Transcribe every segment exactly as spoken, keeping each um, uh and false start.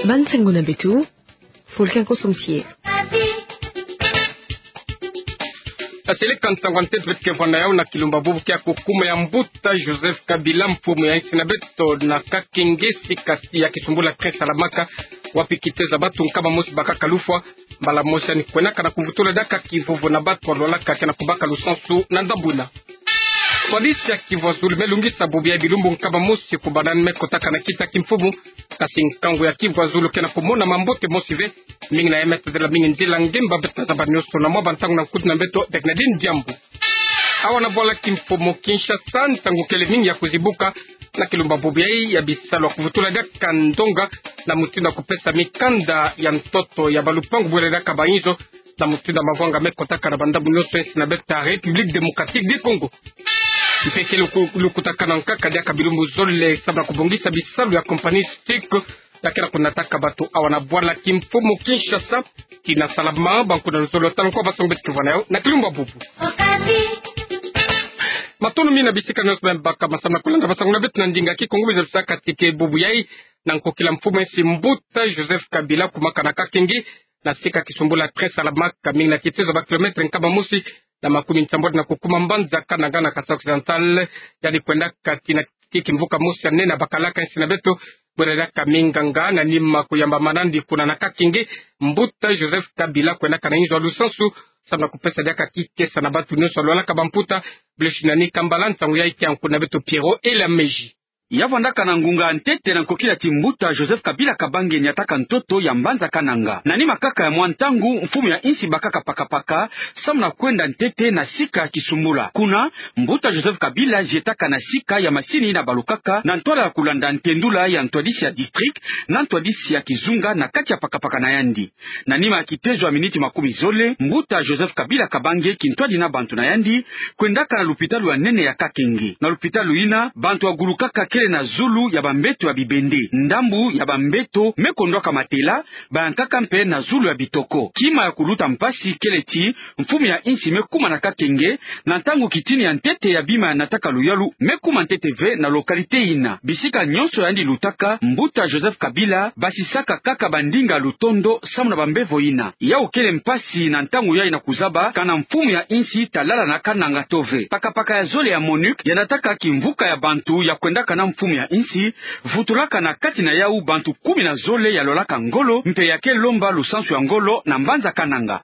Ba nsangu na beto, Fulkan Kosomsie. Aseleka nsangu a ntete beto ke vwanda yau na kilumbu bubu kia kukuma ya mbuta Joseph Kabila, mfumu ya insi na beto, na Kakenge, sika ya kisumbula Tres Salamaka, wapi kitezo ya batu nkama mosi bakaka lufwa, mbala mosi yandi kwenaka na kuvutula diaka kivuvu na batu alwalaka ke na kubaka lusansu na ndambu ina. Ntwadisi ya kivwa zulu me lungisa bubu yayi bilumbu nkama mosi kubanda yandi me kotaka na kiti ya kimfumu. Kasi nkangu ya kivwa zulu ke na kumona mambote mosi ve. Mingi na ya me tadila mingi nzila ngemba beto na zabani nyonso na mwa ba ntangu na nkutu na beto Bernadine Diambu. Awa na bwala kimfumu Kinshasa, ntangu kele mingi ya kuzibuka na kilumbu bubu yayi ya bisalu ya kuvutula diaka ndonga na mutindu ya kupesa mikanda ya ntoto ya balupangu bwele diaka ba inzo, na mutindu ya mavwanga me kotaka na ba ndambu nyonso ya insi na beto ya République Démocratique du Congo. Mpe ke luku-, lukutakanu nkaka diaka bilumbu zole samu na kubongisa bisalu ya compagnie STIC, ya ke na kunataka batu awa na bwala kimfumu Kinshasa. Tina salama, ba nkuna luzolo tala nkwa ba nsangu beto ke vwanda yau na kilumbu bubu. Matondo mingi na bisika nyonso me bakama samu na kulanda ba nsangu na beto na ndinga Kikongo. Biza lusaka ti ke bubu yayi, na nkokila mfumu ya insi mbuta Joseph Kabila kumaka na Kakenge, na sika kisumbula Tres Salamaka, mingi na kitezo ya ba kilomètre nkama mosi na makumi nsambwadi na kukuma mbanza Kananga na Kasai Occidental. Yandi kwendaka tina kiki mvuka mosi ya nene ya bakalaka insi na beto, bwele diaka minganga, na nima kuyamba manandi kuna na Kakenge, mbuta Joseph Kabila kwendaka na inzo ya lusansu samu na kupesa diaka kikesa na batu nyonso alwalaka bamputa. Blessing Nikambala, nsangu yayi ke ya nkuna beto Pierrot Elameji. Ya vwandaka na ngunga ya ntete na nkokila ti mbuta Joseph Kabila Kabange niataka ntoto ya mbanza Kananga. Na nima kaka ya mwa ntangu, mfumu ya insi bakaka pakapaka samu na kwenda ntete na sika kisumbula. Kuna, mbuta Joseph Kabila zietaka na sika ya masini ina balukaka na ntwala ya kulanda ntendula ya ntwadisi ya district na ntwadisi ya kizunga na kati ya pakapaka na yandi. Na nima ya kitezo ya miniti makumi zole, mbuta Joseph Kabila Kabange kintwadi na bantu na yandi, kwendaka na lupitalu ya nene ya Kakenge. Na lupitalu ina, bantu ya gulukaka kele na zulu ya bambeto ya bibende. Ndambu ya bambeto me kondwaka matela, bayankaka mpe na zulu ya bitoko. Kima ya kuluta mpasi kele ti, mfumu ya insi me kuma na Kakenge, na ntangu kitini ya ntete ya bima ya nataka luyalu me kuma ntete ve na localité ina. Bisika nyonso yandi lutaka, mbuta Joseph Kabila basisaka kaka bandinga lutondo samu na bambevo ina. Yau kele mpasi na ntangu yayi na kuzaba kana mfumu ya insi talala na Kananga to ve. Pakapaka ya zole ya MONUC ya nataka kimvuka ya bantu ya kwendaka na mfumu ya insi, vutulaka na kati na yau bantu kumi na zole ya lwalaka ngolo, mpe ya ke lomba lusansu ya ngolo na mbanza Kananga.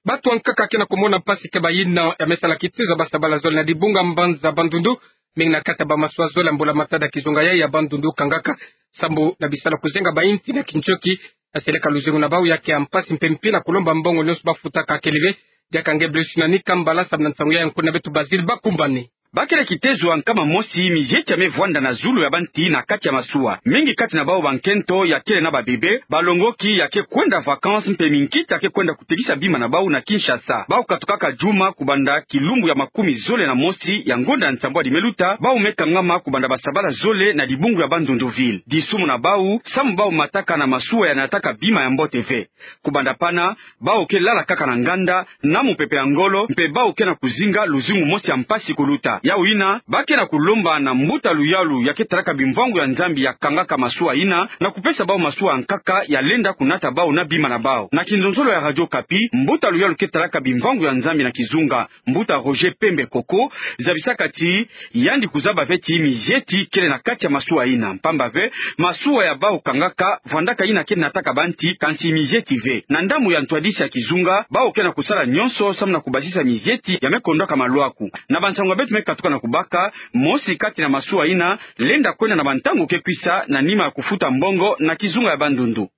Batu ankaka ke na kumona mpasi ke bayina ya me sala kitezo ya basabala zole na dibunga mbanza Bandundu, mingi na kati ya bamasuwa zole ya mbula-matadi ya kizunga yayi ya Bandundu kangaka, sambu na bisalu ya kuzenga bayinti na kinchoki. Aseleka luzingu na bau ya ke ya mpasi mpe mpi na kulomba mbongo nyonso bafutaka kele ve. Diaka nge Blessing Nikambala samu na nsangu yayi ya nkuna beto Basile Bakumbane. Ba ke na kitezo ya nkama mosi mizieti ya me vwanda na zulu ya banti na kati ya masuwa. Mingi kati na bau bankento ya kele na babebe, balongoki ya ke kwenda vacances mpe minkita ya ke kwenda kutekisa bima na bau na Kinshasa. Bau katukaka juma kubanda kilumbu ya makumi zole na mosi ya ngonda ya nsambwadi me luta, bau me kangama kubanda basabala zole na dibungu ya Bandundu ville. Disumu na bau, samu bau mataka na masuwa ya nataka bima ya mbote ve. Kubanda pana, bau ke lala kaka na nganda, na mupepe ya ngolo, mpe bau ke na kuzinga luzingu mosi ya mpasi kuluta. Yau yina, ba ke na kulomba na mbuta luyalu ya ke talaka bimvwangu ya Nzambi ya kangaka masuwa yina, na kupesa bau masuwa ya nkaka ya lenda kunata bau na bima na bau. Na kinzonzolo ya Radio Okapi, mbuta luyalu ke talaka bimvwangu ya Nzambi na kizunga, mbuta Roger Pembe Koko, zabisaka ti yandi kuzaba ve ti mizieti kele na kati ya masuwa yina. Mpamba ve, masuwa ya bau kangaka vwandaka yina ke nataka banti, kansi mizieti ve. Na ndambu ya ntwadisi ya kizunga, bau ke na kusala nyonso samu na kubasisa mizieti ya me kondwaka malwaku. Na bansangu ya beto me katuka na kubaka, mosi kati na masuwa yina lenda kwenda na bantangu ke kwisa na nima ya kufuta mbongo na kizunga ya Bandundu.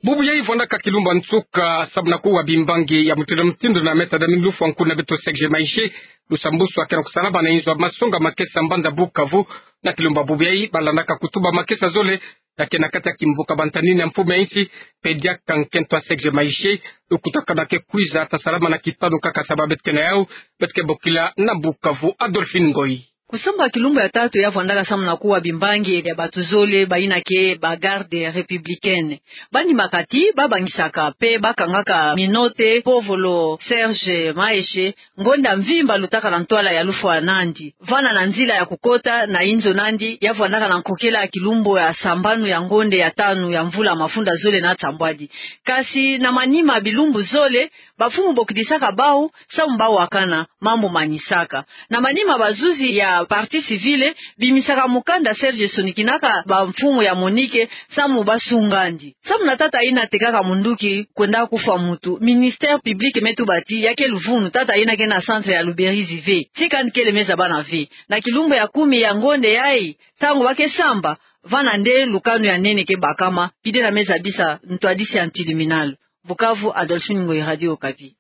Bubu yayi vwandaka kilumbu ya nsuka samu na kuwa bimbangi ya mutindu na mutindu na me tada ni lufwa nkuna beto Serge Maishe, lusambuswa ke na kusalama na inzo ya masonga makesa mbanza Bukavu. Na kilumbu ya bubu yayi balandaka kutuba makesa zole ya ke na kati ya kimvuka bantanini ya mfumu ya insi, mpe diaka nkento ya Serge Maishe. Lukutakanu ya ke kwiza ta salama na kitanu kaka samu beto ke na yau, beto ke bokila na Bukavu, Adolphine Ngoyi. Kusamba kilumbu ya tatu ya vwandaka samu na kuwa bimbangi ya bato zole bayina ke ba garde républicaine. Banima kati babangisaka mpe bakangaka minote, povolo Serge Maheshe, ngonda mvimba lutakana ntwala ya lufwa nandi. Vana na nzila ya kukota na inzo nandi ya vwandaka na nkokela ya kilumbu ya sambanu ya ngonda ya tanu ya mvula mafunda zole na nsambwadi. Kasi na manima bilumbu zole, bamfumu bokidisaka bau samu bau wakana mambu manisaka. Na manima bazuzi ya partie civile bimisaka mukanda Serge sonikinaka bamfumu ya MONUC samu basungandi. Samu na tata yina tekaka munduki kwenda kufwa mutu, ministère public me tuba ti ya ke luvunu tata yina ke na centre ya Luberizi ve. Tika nde kele me zabana ve. Na kilumbu ya kumi ya ngonda yayi, ntangu ba ke samba, vana nde lukanu ya nene ke bakama, pide na me zabisa ntwadisi ya ntiliminalu. Bukavu, Adolphine Ngoyi, Radio Okapi.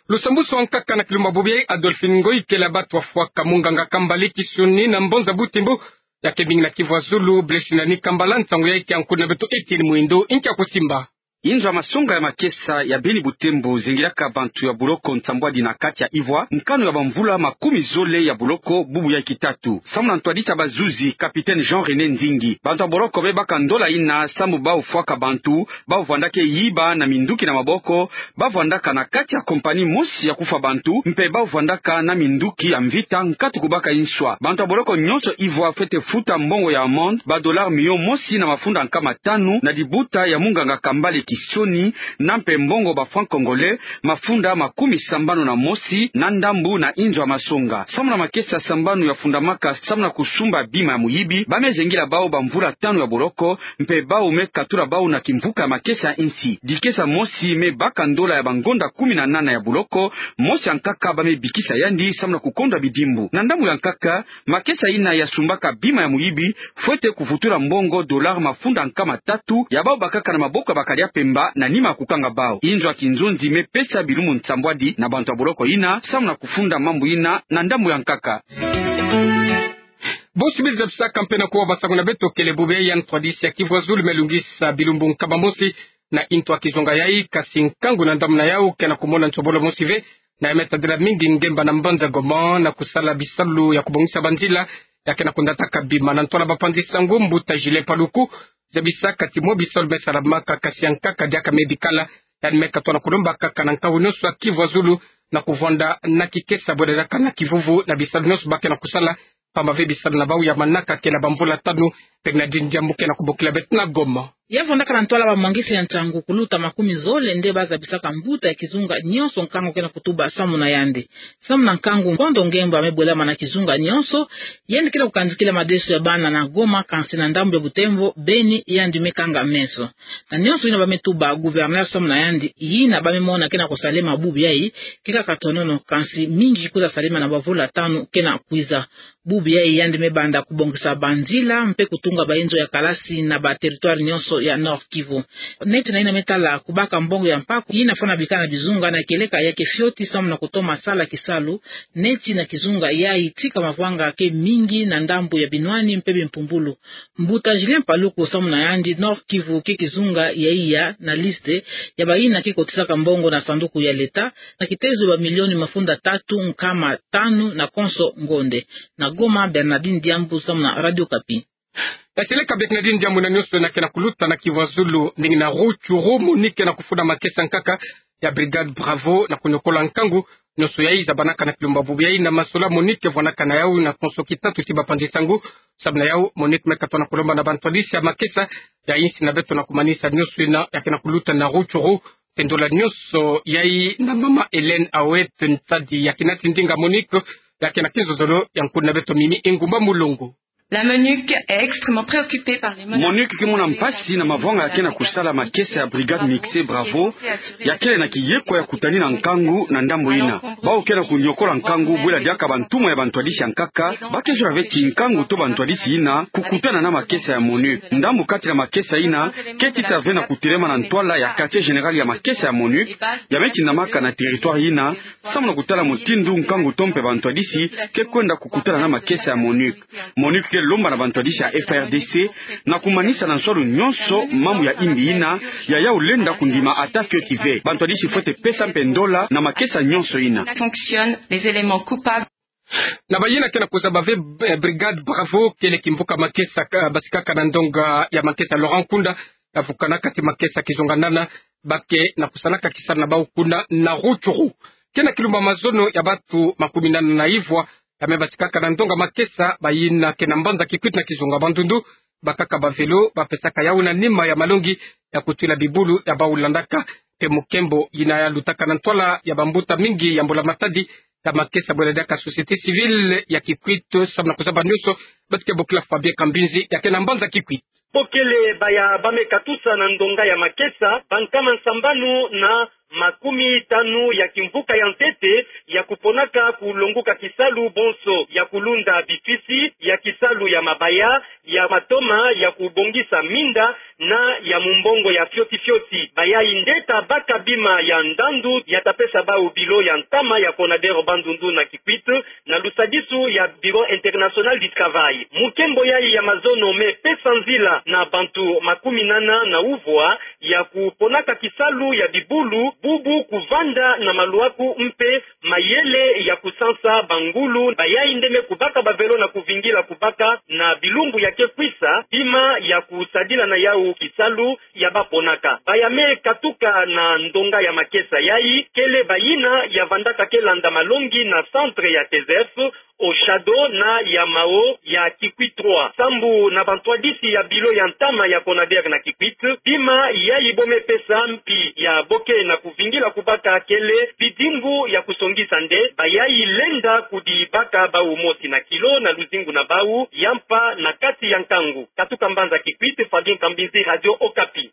Lusambusu ankaka na kilumbu bubu yayi. Adolphine Ngoyi. Kele bato wafwaka munganga Kambale Kisioni na Mbanza Butembo, ya ke mingi na Kivu ya Zulu, Blessing Nikambala. Nsangu yayi ke ya nkundi na beto Etienne Mwindo, nkia kusimba. Inzo ya masonga ya makesa ya Beni Butembo zengilaka bantu ya boloko nsambwadi na kati ya ivwa, nkanu ya bamvula makumi zole ya boloko, bubu ya kitatu. Samu na ntwadisi ya bazuzi, capitaine Jean René Nzingi, bantu ya boloko me baka ndola yina samu bau fwaka bantu, bau vwandaka yiba na minduki na maboko, bau vwandaka na kati ya compagnie mosi ya kufwa bantu, mpe bau vwandaka na minduki ya mvita nkatu kubaka inswa. Bantu ya boloko nyonso ivwa fwete futa mbongo ya amende, ba dollars miliyo mosi na mafunda nkama tanu, na libuta ya munganga Kambale Kisioni, na mpe mbongo ba francs congolais, mafunda makumi sambanu na mosi, na ndambu na inzo ya masonga. Samu na makesa sambanu ya fundamaka samu na kusumba bima ya muyibi, ba me zengila bau bamvula tanu ya boloko, mpe bau me katula bau na kimvuka ya makesa ya insi. Dikesa mosi me baka ndola ya bangonda kumi na nana ya boloko, mosi ya nkaka ba me bikisa yandi samu na kukondwa bidimbu. Na ndambu ya nkaka, makesa yina ya sumbaka bima ya muyibi, fwete kuvutula mbongo dollars mafunda nkama tatu ya bau bakaka na maboko ya bakadi ya mpemba na nima ya kukanga bau. Inzo ya kinzonzi me pesa bilumbu nsambwadi na bantu ya boloko yina samu na kufunda mambu yina na ndambu ya nkaka. Bosi bili zabisaka mpe na kuwa basangu na beto, kele bubu yayi ntwadisi ya Kivu ya Zulu me lungisa bilumbu nkama mosi na intu ya kizunga yayi, kasi nkangu na ndambu na yau ke na kumona nsobolo mosi ve, na ya me tadila mingi ngemba na mbanza Goma na kusala bisalu ya kubongisa banzila ya ke na kundataka bima. Na ntwala bapanzi sangu, mbuta Julien Paluku zabisaka ti mwa bisalu me salamaka, kasi ya nkaka diaka me bikala. Yandi me katoa na kulomba kaka na nkawu nyonso ya Kivu ya Zulu na kuvwanda na kikesa bwe diaka na kivuvu na bisalu nyonso ba ke na kusala, pamba ve bisalu na bau ya manaka ke na bamvula tanu. Bernardine Diambu ke na kubokila beto na Goma. Ya vwandaka na ntwala bamwangisi ya nsangu kuluta makumi zole nde ba zabisaka mbuta ya kizunga nyonso nkangu ke na kutuba samu na yandi. Samu na nkangu, nkondo ngemba me bwelama na kizunga nyonso. Yandi ke na kukanzikila madeso ya bana na Goma, kansi na ndambu ya Butembo, Beni, yandi me kanga meso. Na nyonso yina ba me tuba gouverneur samu na yandi, yina ba me mona ke na kusalema bubu yayi, ke kaka tonono, kansi mingi kwiza salema na bamvula tanu ke na kwiza. Bubu yayi yandi me banda kubongisa banzila mpe kutunga bainzo ya kalasi na ba territoire nyonso ya Nord-Kivu. Neti na yina me tala kubaka mbongo ya mpaku yina fwana bikala na bizunga na kieleka ya kifioti samu na kutoma sala kisalu, neti na kizunga yayi tika mavwanga ke mingi na ndambu ya binwani mpe bimpumbulu. Mbuta Julien Paluku samu na yandi, Nord-Kivu ke kizunga ya iya na liste ya bayina ke kotisaka mbongo na sanduku ya leta na kitezo ya bamilioni mafunda tatu nkama tanu na konso ngonde. Na Goma, Bernardine Diambu samu na Radio Okapi. Kasi leka Bernardine Diambu na nyonso yina ke na kuluta na Kivu ya Zulu, ndinga na Rutshuru, MONUC ke na kufunda makesa nkaka ya Brigade Bravo na kunyokola nkangu nyonso yayi zabanaka na kilumbu bubu yayi na masola MONUC vwanaka na yau na konso kitatu ti bapanzi sangu. Samu na yau, MONUC me katoa na kulomba na bantwadisi ya makesa ya insi na beto na kumanisa nyonso yina ya ke na kuluta na Rutshuru, te ndola nyonso yayi na mama Hélène Awet Nsadi ya kina ti ndinga MONUC ya ke na kinzonzolo ya nkundi na beto Mimi Engumba Mulongo. La MONUC est extrêmement préoccupée par les menaces. MONUC ke mona mpasi na mavwanga ya ke na kusala makesa ya Brigade Mixte Bravo, ya kele na kiyeko ya kutanina nkangu na ndambu yina. Bau ke na kunyokola nkangu bwela diaka bantumwa ya bantwadisi ya nkaka, ba ke zola ve ti nkangu to bantwadisi yina kukutana na makesa ya MONUC. Ndambu kati na makesa yina ke tita ve na kutelema na ntwala ya quartier général ya makesa ya MONUC, ya me tindamaka na territoire yina, samu na kutala mutindu nkangu to mpe bantwadisi ke kwenda kukutana na makesa ya MONUC. MONUC ke lomba na bantwadisi ya F A R D C na kumanisa na nswalu nyonso mambu ya imbi yina, ya yau lenda kundima ata fioti ve. Bantwadisi fwete pesa mpe ndola na makesa nyonso yina. Sanctionne les éléments coupables. Na bayina ke na kuzaba ve, eh, Brigade Bravo, kele kimvuka Makesa, ka-, basikaka na ndonga ya Makesa Laurent Nkunda, ya vukana kati Makesa kizonganana, ba ke na kusalaka kisalu na bau kuna na Rutshuru. Ke na kilumba mazono ya bantu makumi nana na ivwa, ya me basikaka na ndonga Makesa, bayina ke na mbanza Kikwit na kizonga Bandundu, bakaka ba vélo, bapesaka yau na nima ya malongi ya kutwila bibulu ya bau landaka. Mpe mukembo yina ya lutaka na ntwala ya bambuta mingi ya mbula-matadi ya Makesa, bwela diaka société civile ya Kikwit, samu na kuzaba nionso, beto ke bokila Fabien Kambinzi, ya ke na mbanza Kikwit. Bo kele baya ba me katusa na ndonga ya Makesa, bankama nsambanu na makumi tanu ya kimvuka ya ntete, ya kuponaka kulonguka kisalu bonso, ya kulunda bitwisi, ya kisalu ya mabaya, ya matoma, ya kubongisa minda, na ya mumbongo ya fioti fioti. Bayai nde ta baka bima ya ndandu ya ta pesa bau bilo ya ntama ya Conader Bandundu na Kikwit, na lusadisu ya Bureau International du Travail. Mukembo yai ya mazono me pesa nzila na bantu makumi nana na uvwa ya kuponaka kisalu ya bibulu, bubu kuvanda na maluaku mpe mayele ya kusansa bangulu. Bayai nde me kubaka ba vélo na kuvingila kubaka na bilumbu ya ke kwisa, bima ya kusadila na yau kisalu ya baponaka. Baya me katuka na ndonga ya Makesa yai, kele bayina ya vandaka ke landa malongi na centre ya T S F, Oshado na ya Mao ya Kikwit trois. Sambu na bantwadisi ya bilo ya ntama ya Conader na Kikwit, bima yai bo me pesa mpi ya bo ke na kuvingila kubaka kele bidimbu ya kusongisa nde bayai lenda kudibaka bau mosi na kilo na luzingu na bau ya mpa na kati ya nkangu. Katuka mbanza Kikwit, Fabien Kambinzi, Radio Okapi.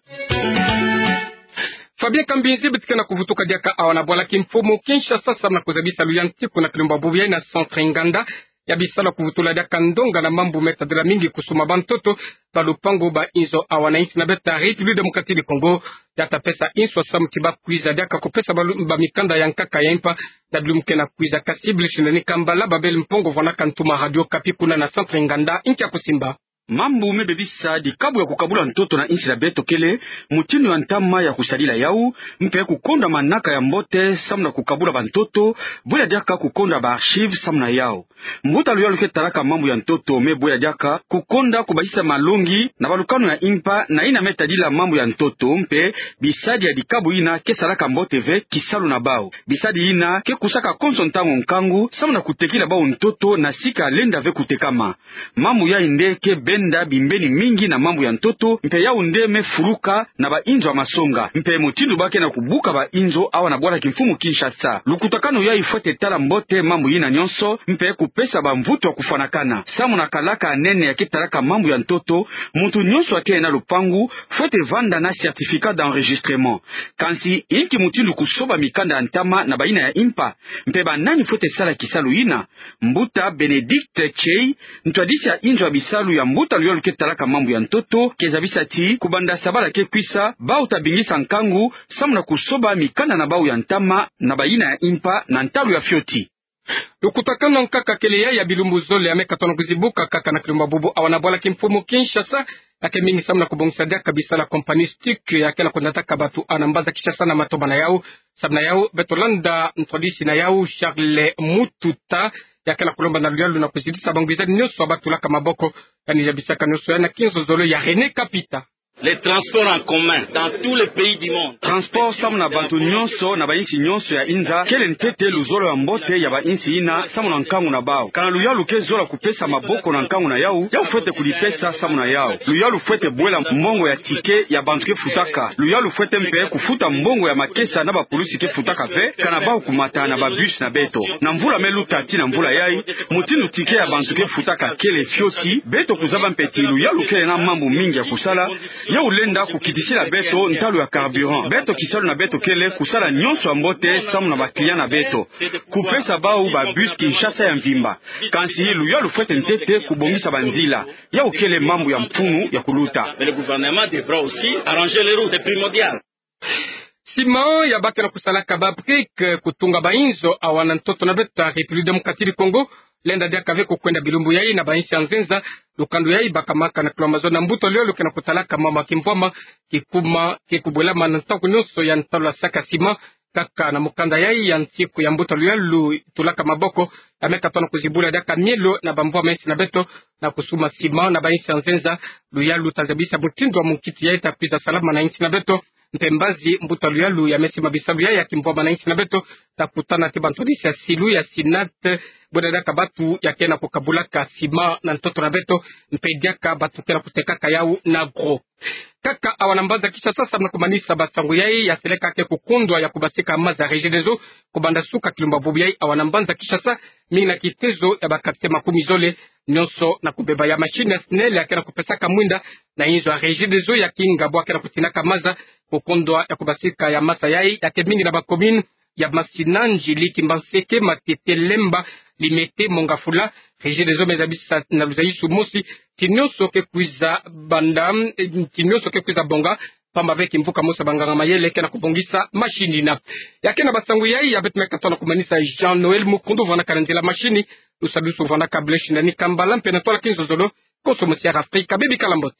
Fabien Kambinzi, beto ke na kuvutuka diaka awa na bwala kimfumu Kinshasa, samu na kuzabisa luyantiku na kilumba bubu yai na Centre Nganda, ya bisalu ya kuvutula diaka ndonga na mambu me tadila mingi kusuma bantoto ba lupangu ba inzo awa na insi na beto ya République Démocratique du Congo. Ya ta pesa inso samu ki bakwiza diaka kupesa ba lu-, ba mikanda ya nkaka ya impa na bilumbu ke na kwiza. Kasi Brice Ndani Kambala, babele mpungu vwanaka ntuma Radio Okapi kuna na Centre Nganda, nkia kusimba. Mambu me bebisa dikabu ya kukabula ntoto na insi na beto kele mutindu ya ntama ya kusadila yau, mpe kukonda manaka ya mbote samu na kukabula bantoto, bwela diaka kukonda ba archives samu na yau. Mbuta luyalu ke talaka mambu ya ntoto me bwela diaka kukonda kubasisa malongi na balukanu ya impa na yina me tadila mambu ya ntoto, mpe bisadi ya dikabu yina ke salaka mbote ve kisalu na bau. Bisadi yina ke kusaka konso ntangu nkangu samu na kutekila bau ntoto na sika lenda ve kutekama. Mambu yai nde ke benda bimbeni mingi na mambu ya ntoto, mpe yau nde me fuluka na ba inzo ya masonga, mpe mutindu ba ke na kubuka ba inzo awa na bwala kimfumu Kinshasa. Lukutakanu yai fwete tala mbote mambu yina nyonso, mpe kupesa bamvutu ya kufwanakana. Samu na kalaka ya nene ya ke talaka mambu ya ntoto, muntu nyonso ya ke na lupangu fwete vanda na certificat d'enregistrement. Kansi inki mutindu kusoba mikanda ya ntama na bayina ya impa? Mpe banani fwete sala kisalu yina? Mbuta Bénédicte Tchey, ntwadisi ya inzo ya bisalu ya mbuta luyalu ke talaka mambu ya ntoto, ke zabisa ti kubanda sabala ke kwisa, bau ta bingisa nkangu samu na kusoba mikanda na bau ya ntama na bayina ya impa na ntalu ya fioti. Lukutakanu ya nkaka kele yai ya bilumbu zole ya me katona kuzibuka kaka na kilumba bubu awa na bwala kimfumu Kinshasa, ya ke mingi samu na kubongisa diaka bisalu ya compagnie STIC ya ke na kundataka batu awa na mbanza Kinshasa na matoma na yau. Samu na yau, beto landa ntwadisi na yau, Charles Mututa, ya ke na kulomba na luyalu na kuzitisa bangwizani nyonso ya batulaka maboko, yandi zabisaka nyonso yandi na kinzozolo ya René Kapita. Les transports en commun dans tous les pays du monde. Transport samu na bantu nyonso na bainsi nyonso ya inza kele ntete luzolo ya mbote ya bainsi yina samu na nkangu na bau. Kana luyalu ke zola kupesa maboko na nkangu na yau, yau fwete kudipesa samu na yau. Luyalu fwete bwela mbongo ya ticket ya bantu ke futaka. Luyalu fwete mpe kufuta mbongo ya makesa na bapulusi ke futaka ve, kana bau kumata na babus na beto. Na mvula me luta tii na mvula yai, mutindu ticket ya bantu ke futaka kele fioti, beto kuzaba mpe ti luyalu kele na mambu mingi ya kusala, yau lenda kukitisila beto ntalu ya carburant. Beto kisalu na beto kele kusala nyonso ya mbote samu na ba clients na beto. Kupesa bau ba bus Kinshasa ya mvimba. Kansi luyalu fwete ntete kubongisa banzila. Yau kele mambu ya mfunu ya kuluta. Mais le gouvernement devra aussi arranger les routes, c'est primordial. Sima ya ba ke na kusalaka ba briques, kutunga bainzo awa na ntoto na beto ya République Démocratique du Congo, lenda diaka ve kukwenda bilumbu yai na bainsi ya nzenza. Lukando yai bakamaka na kilomba zo na mbuta luyalu ke na kutalaka mama kimvwama, kikuma ke kubwelama na ntangu nyonso ya ntalu ya saka sima. Kaka na mukanda yai ya nsiku ya mbuta luyalu itulaka maboko, ya me katona kuzibula diaka mielo na bamvwama ya nsi na beto, na kusuma sima na bainsi ya nzenza. Luyalu ta zabisa mutindu wa munkiti yai ta kwiza salama na insi na beto. Mpe mbazi mbuta luyalu ya me sima bisalu yai ya kimvwama na insi na beto, ta kutana ti bantu nisi ya silu ya sinate, buna diaka batu ya kena kukabulaka sima na ntoto na beto, mpe diaka batu kena kutekaka yau na gros. Kaka awa na mbanza Kinshasa, samu na kumanisa basangu yai, ya seleka ke kukundwa ya kubasika maza Regideso, kubanda suka kilumbu bubu yai awa na mbanza Kinshasa, mingi na kitezo ya ba quartier makumi zole, nionso na kubeba ya machine ya SNEL ya kena kupesaka mwinda na inzo ya Regideso ya kinga bwa kena kutinaka maza. Kukundwa ya kubasika ya maza yai ya ke mingi na ba commune ya Masina, Ndjili, Kimbanseke, Matete, Lemba, Limete, Mont-Ngafula. Regideso me zabisa na luzayisu mosi ti nionso ke kwiza banda, eh, ti nionso ke kwiza bonga, pamba ve kimvuka mosi ya banganga mayele kena kubongisa machine yina. Ya kena basangu yai ya beto me katona kumanisa Jean Noël Mukundu vwandaka na nzila machine, lusadusu vwandaka Blaise Ndani Kambala, mpe na tola kinzozolo, konso mosi ya Afrika, bebikala mbote.